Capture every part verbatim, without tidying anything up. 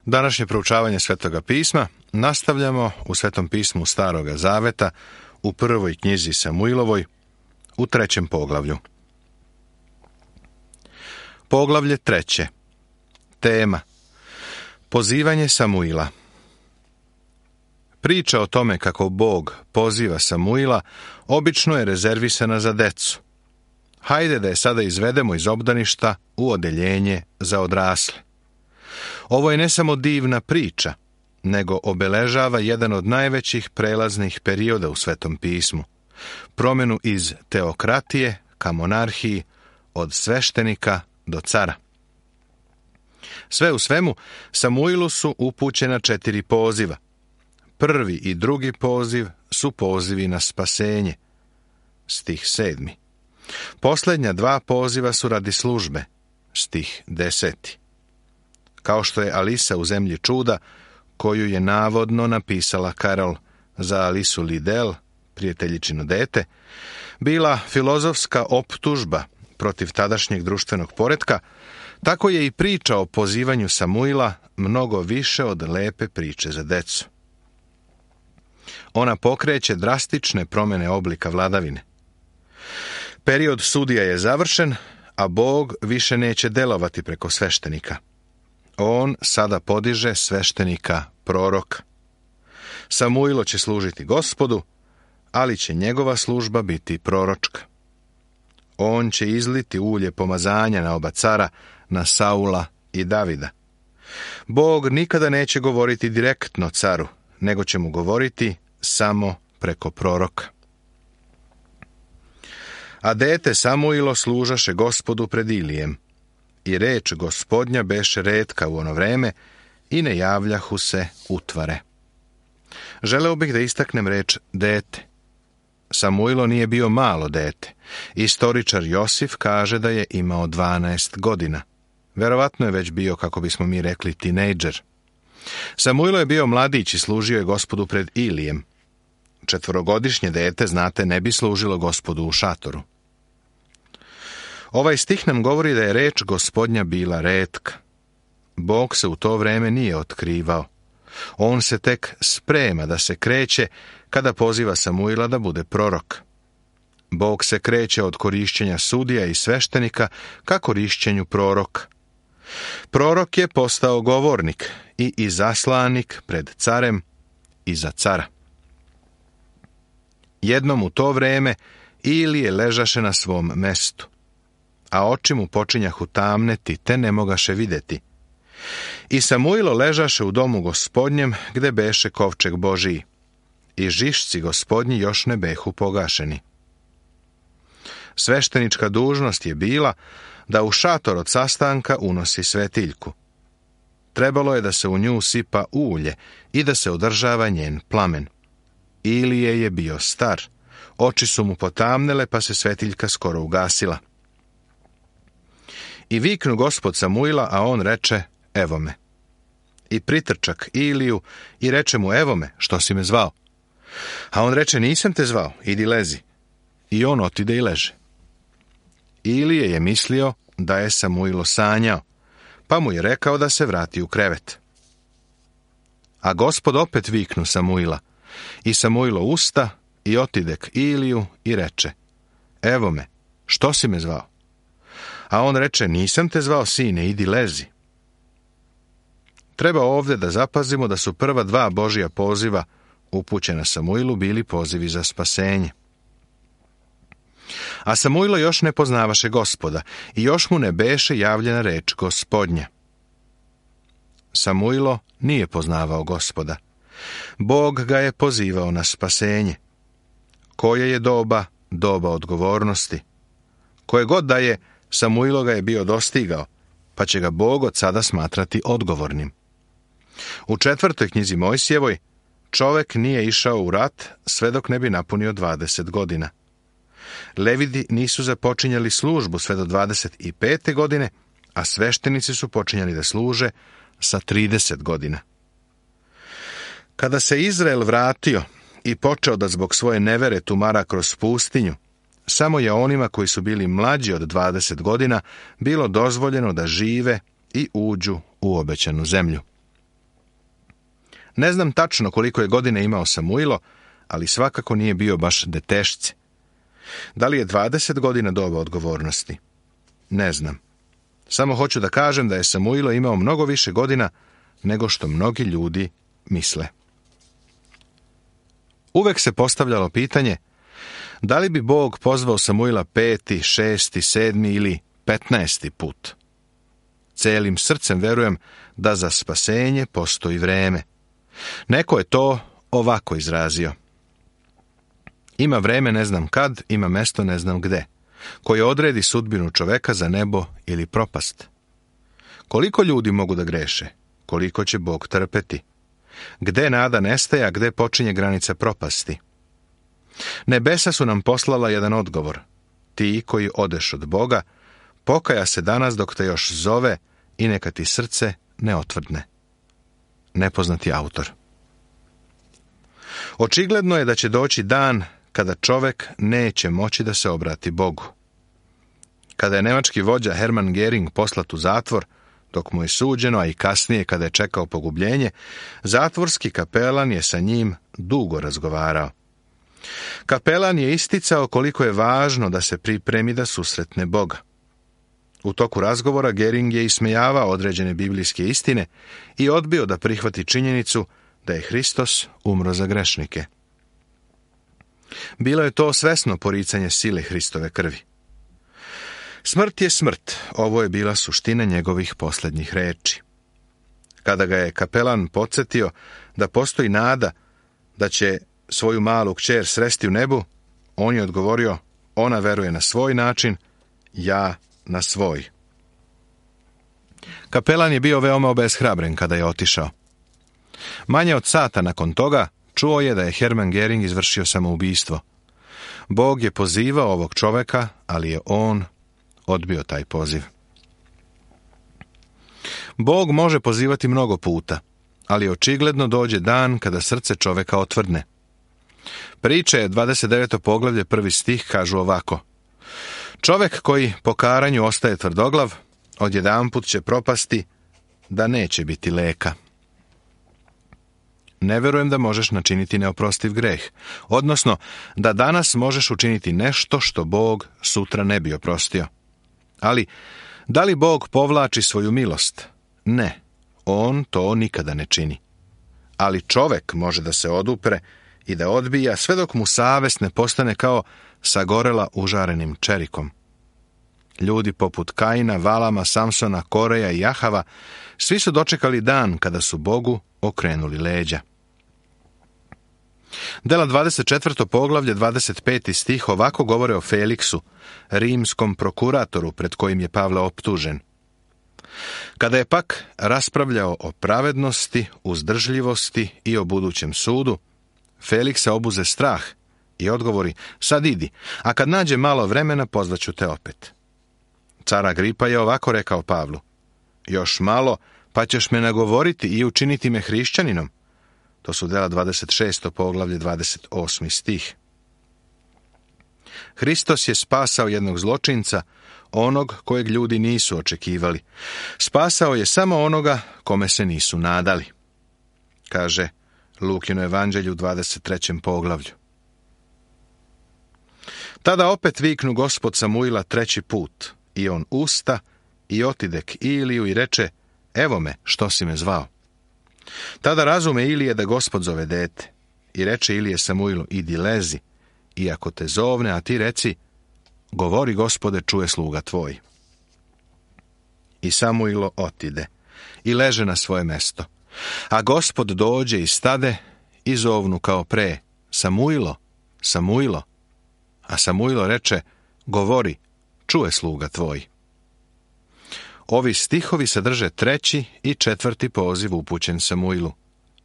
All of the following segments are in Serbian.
Današnje proučavanje Svetoga pisma nastavljamo u Svetom pismu Staroga Zaveta u prvoj knjizi Samuilovoj u trećem poglavlju. Poglavlje treće. Tema: pozivanje Samuila. Priča o tome kako Bog poziva Samuila obično je rezervisana za decu. Hajde da je sada izvedemo iz obdaništa u odeljenje za odrasle. Ovo je ne samo divna priča, nego obeležava jedan od najvećih prelaznih perioda u Svetom pismu, promjenu iz teokratije ka monarhiji, od sveštenika do cara. Sve u svemu, Samuilu su upućena četiri poziva. Prvi i drugi poziv su pozivi na spasenje. Stih sedmi. Posljednja dva poziva su radi službe. Stih deseti. Kao što je Alisa u zemlji čuda, koju je navodno napisala Karol za Alisu Lidel, prijateljičino dete, bila filozofska optužba protiv tadašnjeg društvenog poretka, tako je i priča o pozivanju Samuila mnogo više od lepe priče za decu. Ona pokreće drastične promjene oblika vladavine. Period sudija je završen, a Bog više neće delovati preko sveštenika. On sada podiže sveštenika proroka. Samuilo će služiti Gospodu, ali će njegova služba biti proročka. On će izliti ulje pomazanja na oba cara, na Saula i Davida. Bog nikada neće govoriti direktno caru, nego će mu govoriti samo preko proroka. A dete Samuilo služaše Gospodu pred Ilijem, i reč Gospodnja beše retka u ono vreme, i ne javljahu se utvare. Želeo bih da istaknem reč dete. Samuilo nije bio malo dete. Istoričar Josif kaže da je imao dvanaest godina. Verovatno je već bio, kako bismo mi rekli, tinejdžer. Samuilo je bio mladić i služio je Gospodu pred Ilijem. Četvorogodišnje dete, znate, ne bi služilo Gospodu u šatoru. Ovaj stih nam govori da je reč Gospodnja bila retka. Bog se u to vreme nije otkrivao. On se tek sprema da se kreće kada poziva Samuila da bude prorok. Bog se kreće od korišćenja sudija i sveštenika ka korišćenju proroka. Prorok je postao govornik i izaslanik pred carem i za cara. Jednom u to vreme Ilije ležaše na svom mestu, a oči mu počinjahu tamneti, te ne mogaše videti. I Samuilo ležaše u domu Gospodnjem, gde beše kovčeg Božiji, i žišci Gospodnji još ne behu pogašeni. Sveštenička dužnost je bila da u šator od sastanka unosi svetiljku. Trebalo je da se u nju sipa ulje i da se održava njen plamen. Ilije je bio star, oči su mu potamnele, pa se svetiljka skoro ugasila. I viknu Gospod Samuila, a on reče: evo me. I pritrčak Iliju i reče mu: evo me, što si me zvao? A on reče: nisam te zvao, idi lezi. I on otide i leže. Ilije je mislio da je Samuilo sanjao, pa mu je rekao da se vrati u krevet. A Gospod opet viknu Samuila, i Samuilo usta i otide k Iliju i reče: evo me, što si me zvao? A on reče: nisam te zvao, sine, idi lezi. Treba ovdje da zapazimo da su prva dva Božja poziva upućena Samuilu bili pozivi za spasenje. A Samuilo još ne poznavaše Gospoda i još mu ne beše javljena reč Gospodnja. Samuilo nije poznavao Gospoda. Bog ga je pozivao na spasenje. Koje je doba, doba odgovornosti. Koje god da je, Samuilo ga je bio dostigao, pa će ga Bog od sada smatrati odgovornim. U četvrtoj knjizi Mojsijevoj čovek nije išao u rat sve dok ne bi napunio dvadeset godina. Levidi nisu započinjali službu sve do dvadeset pete godine, a sveštenici su počinjali da služe sa trideset godina. Kada se Izrael vratio i počeo da zbog svoje nevere tumara kroz pustinju, samo je onima koji su bili mlađi od dvadeset godina bilo dozvoljeno da žive i uđu u obećanu zemlju. Ne znam tačno koliko je godine imao Samuilo, ali svakako nije bio baš detešce. Da li je dvadeset godina doba odgovornosti? Ne znam. Samo hoću da kažem da je Samuilo imao mnogo više godina nego što mnogi ljudi misle. Uvek se postavljalo pitanje da li bi Bog pozvao Samuila peti, šesti, sedmi ili petnaesti put. Celim srcem verujem da za spasenje postoji vreme. Neko je to ovako izrazio. Ima vreme ne znam kad, ima mesto ne znam gde, koje odredi sudbinu čoveka za nebo ili propast. Koliko ljudi mogu da greše? Koliko će Bog trpeti? Gde nada nestaje, a gde počinje granica propasti? Nebesa su nam poslala jedan odgovor. Ti koji odeš od Boga, pokaja se danas dok te još zove i neka ti srce ne otvrdne. Nepoznati autor. Očigledno je da će doći dan kada čovek neće moći da se obrati Bogu. Kada je nemački vođa Hermann Göring poslat u zatvor, dok mu je suđeno, a i kasnije kada je čekao pogubljenje, zatvorski kapelan je sa njim dugo razgovarao. Kapelan je isticao koliko je važno da se pripremi da susretne Boga. U toku razgovora Göring je ismejavao određene biblijske istine i odbio da prihvati činjenicu da je Hristos umro za grešnike. Bilo je to svesno poricanje sile Hristove krvi. Smrt je smrt, ovo je bila suština njegovih posljednjih reči. Kada ga je kapelan podsjetio da postoji nada da će svoju malu kćer sresti u nebu, on je odgovorio, ona veruje na svoj način, ja na svoj. Kapelan je bio veoma obeshrabren kada je otišao. Manje od sata nakon toga čuo je da je Hermann Göring izvršio samoubistvo. Bog je pozivao ovog čoveka, ali je on odbio taj poziv. Bog može pozivati mnogo puta, ali očigledno dođe dan kada srce čoveka otvrdne. Priče dvadeset deveto poglavlje prvi stih kažu ovako. Čovek koji po karanju ostaje tvrdoglav, odjedanput će propasti da neće biti leka. Ne verujem da možeš načiniti neoprostiv greh, odnosno da danas možeš učiniti nešto što Bog sutra ne bi oprostio. Ali, da li Bog povlači svoju milost? Ne, on to nikada ne čini. Ali čovek može da se odupre i da odbija sve dok mu savest ne postane kao sagorela užarenim čerikom. Ljudi poput Kaina, Valama, Samsona, Koreja i Jahava, svi su dočekali dan kada su Bogu okrenuli leđa. Dela dvadeset četvrto poglavlje, dvadeset peti stih ovako govore o Feliksu, rimskom prokuratoru pred kojim je Pavle optužen. Kada je pak raspravljao o pravednosti, uzdržljivosti i o budućem sudu, Feliksa obuze strah i odgovori, sad idi, a kad nađe malo vremena pozvaću te opet. Car Agripa je ovako rekao Pavlu, još malo pa ćeš me nagovoriti i učiniti me hrišćaninom. To su dela dvadeset šesto poglavlje, dvadeset osmi stih. Hristos je spasao jednog zločinca, onog kojeg ljudi nisu očekivali. Spasao je samo onoga kome se nisu nadali. Kaže Lukino evanđelju u dvadeset trećem poglavlju. Tada opet viknu Gospod Samuila treći put, i on usta i otide k Iliju i reče, evo me, što si me zvao. Tada razume Ilije da Gospod zove dete, i reče Ilije Samuilu, idi lezi, i ako te zovne, a ti reci, govori Gospode, čuje sluga tvoj. I Samuilo otide, i leže na svoje mesto. A Gospod dođe i stade, i zovnu kao pre, Samuilo, Samuilo. A Samuilo reče, govori, čuje sluga tvoj. Ovi stihovi sadrže treći i četvrti poziv upućen Samuilu.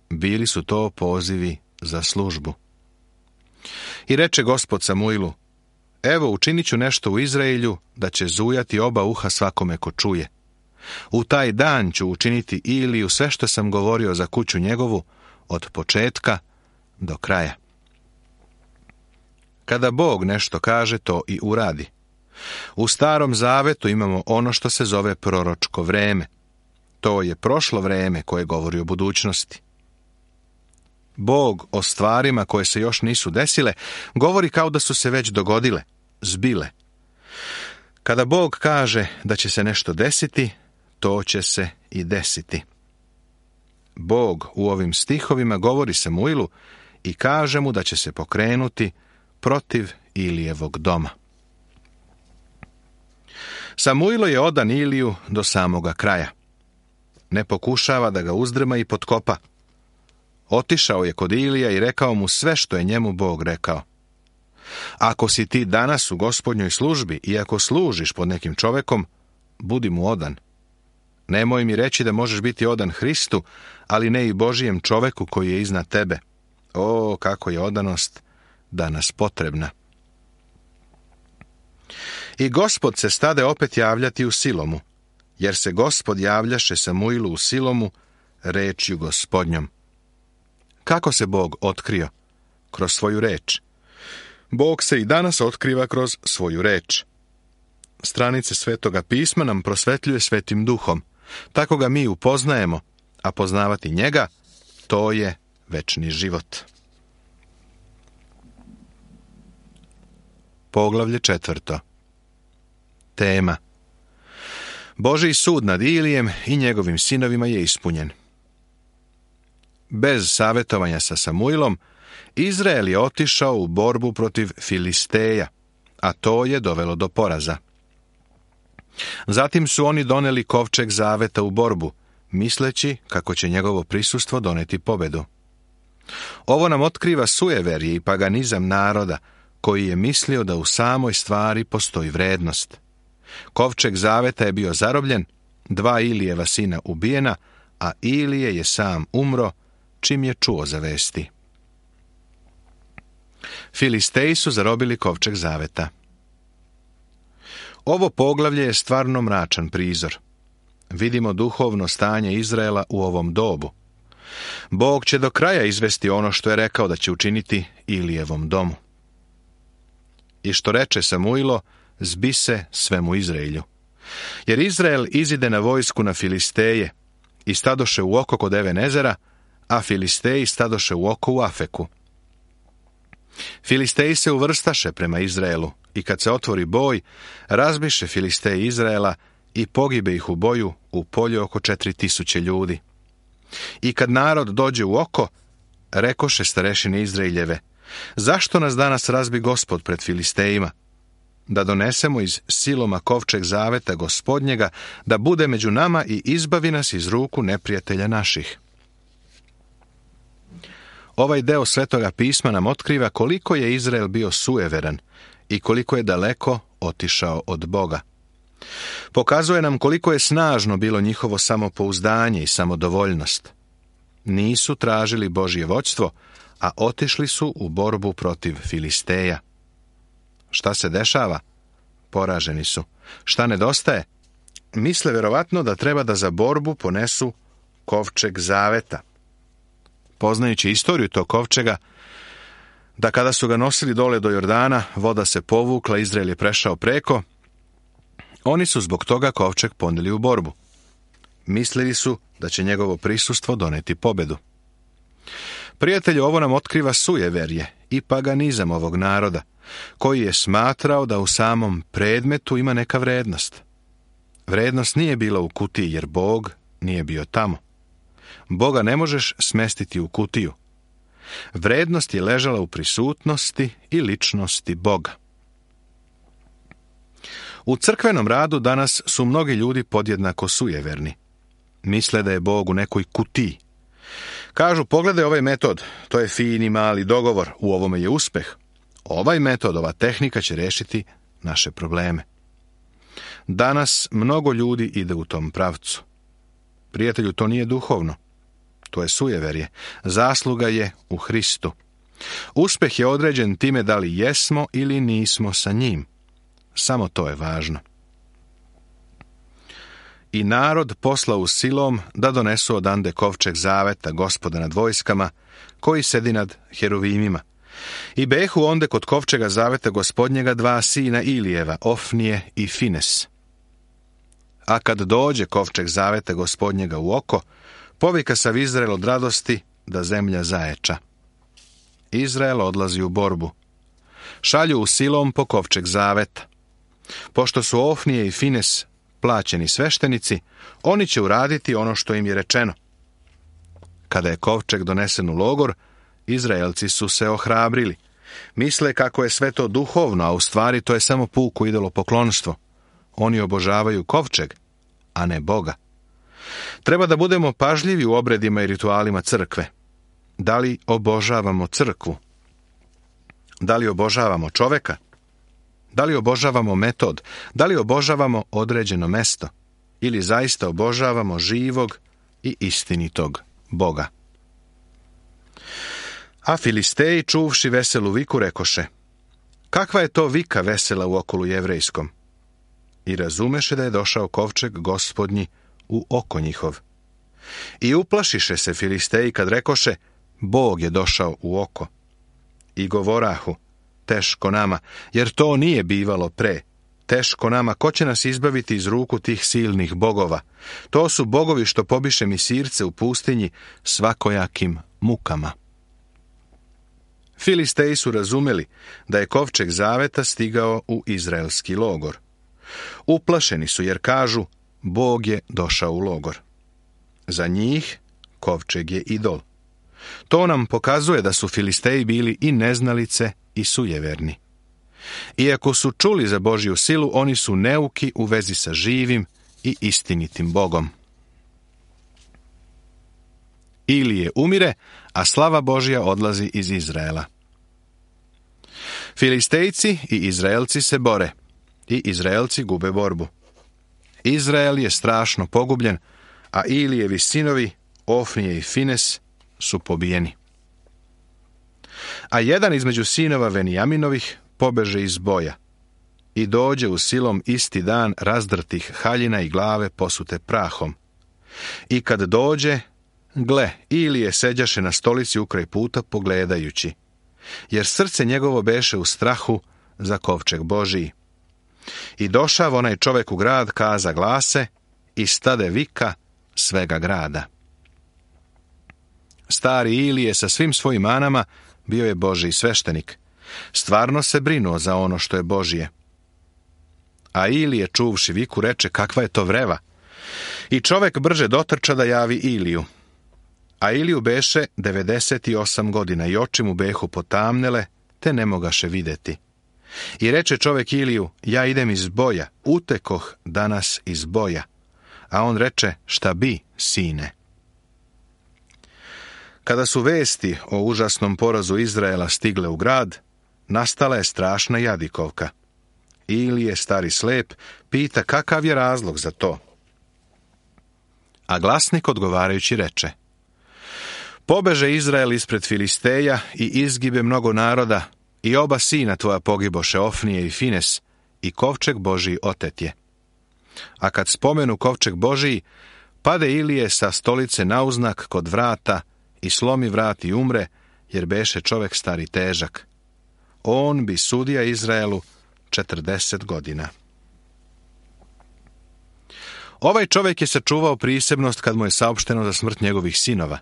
Bili su to pozivi za službu. I reče Gospod Samuilu, evo učinit ću nešto u Izraelju, da će zujati oba uha svakome ko čuje. U taj dan ću učiniti Iliju sve što sam govorio za kuću njegovu, od početka do kraja. Kada Bog nešto kaže, to i uradi. U Starom Zavetu imamo ono što se zove proročko vreme. To je prošlo vreme koje govori o budućnosti. Bog o stvarima koje se još nisu desile govori kao da su se već dogodile, zbile. Kada Bog kaže da će se nešto desiti, to će se i desiti. Bog u ovim stihovima govori Samuilu i kaže mu da će se pokrenuti protiv Ilijevog doma. Samuilo je odan Iliju do samoga kraja. Ne pokušava da ga uzdrma i potkopa. Otišao je kod Ilija i rekao mu sve što je njemu Bog rekao. Ako si ti danas u Gospodnjoj službi i ako služiš pod nekim čovekom, budi mu odan. Nemoj mi reći da možeš biti odan Hristu, ali ne i Božijem čoveku koji je iznad tebe. O, kako je odanost danas potrebna. I Gospod se stade opet javljati u Silomu, jer se Gospod javljaše Samuilu u Silomu rečju Gospodnjom. Kako se Bog otkrio? Kroz svoju reč. Bog se i danas otkriva kroz svoju reč. Stranice Svetoga pisma nam prosvetljuje Svetim Duhom. Tako ga mi upoznajemo, a poznavati njega, to je večni život. Poglavlje četvrto. Tema. Božji sud nad Ilijem i njegovim sinovima je ispunjen. Bez savjetovanja sa Samuilom, Izrael je otišao u borbu protiv Filisteja, a to je dovelo do poraza. Zatim su oni doneli kovčeg zaveta u borbu, misleći kako će njegovo prisustvo doneti pobedu. Ovo nam otkriva sujeverje i paganizam naroda, koji je mislio da u samoj stvari postoji vrednost. Kovčeg zaveta je bio zarobljen, dva Ilijeva sina ubijena, a Ilije je sam umro čim je čuo za vesti. Filisteji su zarobili kovčeg zaveta. Ovo poglavlje je stvarno mračan prizor. Vidimo duhovno stanje Izraela u ovom dobu. Bog će do kraja izvesti ono što je rekao da će učiniti Ilijevom domu. I što reče Samuilo, zbi se svemu Izraelju. Jer Izrael izide na vojsku na Filisteje i stadoše u oko kod Evenezera, a Filisteji stadoše u oko u Afeku. Filisteji se uvrstaše prema Izraelu i kad se otvori boj, razbiše Filisteji Izraela i pogibe ih u boju u polju oko četiri tisuće ljudi. I kad narod dođe u oko, rekoše starešine Izraeljeve, zašto nas danas razbi Gospod pred Filistejima? Da donesemo iz Siloma kovčeg zaveta Gospodnjega, da bude među nama i izbavi nas iz ruku neprijatelja naših. Ovaj deo Svetoga pisma nam otkriva koliko je Izrael bio sujeveran i koliko je daleko otišao od Boga. Pokazuje nam koliko je snažno bilo njihovo samopouzdanje i samodovoljnost. Nisu tražili Božje vođstvo, a otišli su u borbu protiv Filisteja. Šta se dešava? Poraženi su. Šta nedostaje? Misle verovatno da treba da za borbu ponesu kovčeg zaveta. Poznajući istoriju tog kovčega, da kada su ga nosili dole do Jordana, voda se povukla, Izrael je prešao preko, oni su zbog toga kovčeg poneli u borbu. Mislili su da će njegovo prisustvo doneti pobedu. Prijatelju, ovo nam otkriva sujeverje i paganizam ovog naroda, koji je smatrao da u samom predmetu ima neka vrednost. Vrednost nije bila u kutiji, jer Bog nije bio tamo. Boga ne možeš smestiti u kutiju. Vrednost je ležala u prisutnosti i ličnosti Boga. U crkvenom radu danas su mnogi ljudi podjednako sujeverni. Misle da je Bog u nekoj kutiji. Kažu, pogledaj ovaj metod, to je fini mali dogovor, u ovome je uspeh. Ovaj metod, ova tehnika će rešiti naše probleme. Danas mnogo ljudi ide u tom pravcu. Prijatelju, to nije duhovno. To je sujeverje. Zasluga je u Hristu. Uspeh je određen time da li jesmo ili nismo sa njim. Samo to je važno. I narod poslao u Silom da donesu odande kovčeg zaveta Gospoda nad vojskama, koji sedi nad heruvimima. I behu onde kod kovčega zaveta Gospodnjega dva sina Ilijeva, Ofnije i Fines. A kad dođe kovčeg zaveta Gospodnjega u oko, povika sav Izrael od radosti da zemlja zaječa. Izrael odlazi u borbu. Šalju u Silom po kovčeg zaveta. Pošto su Ofnije i Fines plaćeni sveštenici, oni će uraditi ono što im je rečeno. Kada je kovčeg donesen u logor, Izraelci su se ohrabrili. Misle kako je sve to duhovno, a u stvari to je samo puko idolopoklonstvo. Oni obožavaju kovčeg, a ne Boga. Treba da budemo pažljivi u obredima i ritualima crkve. Da li obožavamo crkvu? Da li obožavamo čoveka? Da li obožavamo metod? Da li obožavamo određeno mesto? Ili zaista obožavamo živog i istinitog Boga? A Filisteji, čuvši veselu viku, rekoše: kakva je to vika vesela u okolu jevrejskom? I razumeše da je došao kovčeg Gospodnji u oko njihov. I uplašiše se Filisteji kad rekoše: Bog je došao u oko. I govorahu: teško nama, jer to nije bivalo pre. Teško nama, ko će nas izbaviti iz ruku tih silnih bogova? To su bogovi što pobiše Misirce u pustinji svakojakim mukama. Filisteji su razumeli da je kovčeg zaveta stigao u izraelski logor. Uplašeni su jer kažu: Bog je došao u logor. Za njih kovčeg je idol. To nam pokazuje da su Filisteji bili i neznalice i sujeverni. Iako su čuli za Božju silu, oni su neuki u vezi sa živim i istinitim Bogom. Ilije umire, a slava Božja odlazi iz Izraela. Filistejci i Izraelci se bore, i Izraelci gube borbu. Izrael je strašno pogubljen, a Ilijevi sinovi, Ofnije i Fines, su pobijeni. A jedan između sinova Venijaminovih pobeže iz boja i dođe u Silom isti dan razdrtih haljina i glave posute prahom. I kad dođe, gle, Ilije seđaše na stolici ukraj puta pogledajući, jer srce njegovo beše u strahu za kovčeg Božiji. I došav onaj čovek u grad, kaza glase, i stade vika svega grada. Stari Ilije sa svim svojim manama bio je Božji sveštenik. Stvarno se brinuo za ono što je Božje. A Ilije, čuvši viku, reče: kakva je to vreva? I čovek brže dotrča da javi Iliju. A Iliju beše devedeset osam godina i oči mu behu potamnele, te ne mogaše videti. I reče čovek Iliju: ja idem iz boja, utekoh danas iz boja. A on reče: šta bi, sine? Kada su vesti o užasnom porazu Izraela stigle u grad, nastala je strašna jadikovka. Ilije, stari slep, pita kakav je razlog za to. A glasnik odgovarajući reče: pobeže Izrael ispred Filisteja i izgibe mnogo naroda, i oba sina tvoja pogiboše, Ofnije i Fines, i kovčeg Božiji otet je. A kad spomenu kovčeg Božiji, pade Ilije sa stolice nauznak kod vrata i slomi vrat i umre, jer beše čovek stari težak. On bi sudija Izraelu četrdeset godina. Ovaj čovjek je sačuvao prisebnost kad mu je saopšteno za smrt njegovih sinova.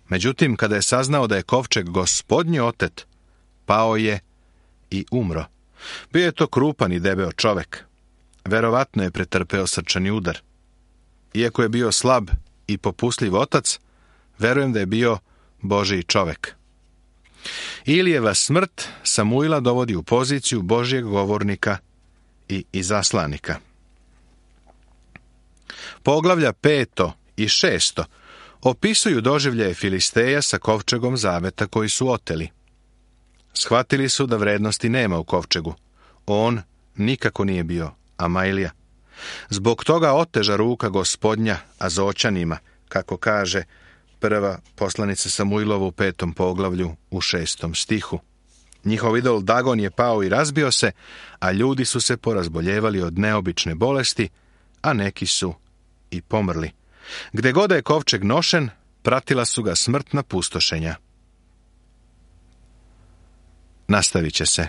Međutim, kada je saznao da je kovčeg Gospodnji otet, pao je i umro. Bio je to krupan i debeo čovek. Verovatno je pretrpeo srčani udar. Iako je bio slab i popustljiv otac, verujem da je bio Božji čovek. Ilijeva smrt Samuila dovodi u poziciju Božjeg govornika i izaslanika. Poglavlja peto i šesto opisuju doživljaje Filisteja sa kovčegom zaveta koji su oteli. Shvatili su da vrednosti nema u kovčegu. On nikako nije bio Amajlija. Zbog toga oteža ruka Gospodnja Azoćanima, kako kaže prva poslanica Samuilova u petom poglavlju u šestom stihu. Njihov idol Dagon je pao i razbio se, a ljudi su se porazboljevali od neobične bolesti, a neki su i pomrli. Gde god je kovčeg nošen, pratila su ga smrtna pustošenja. Nastavit će se.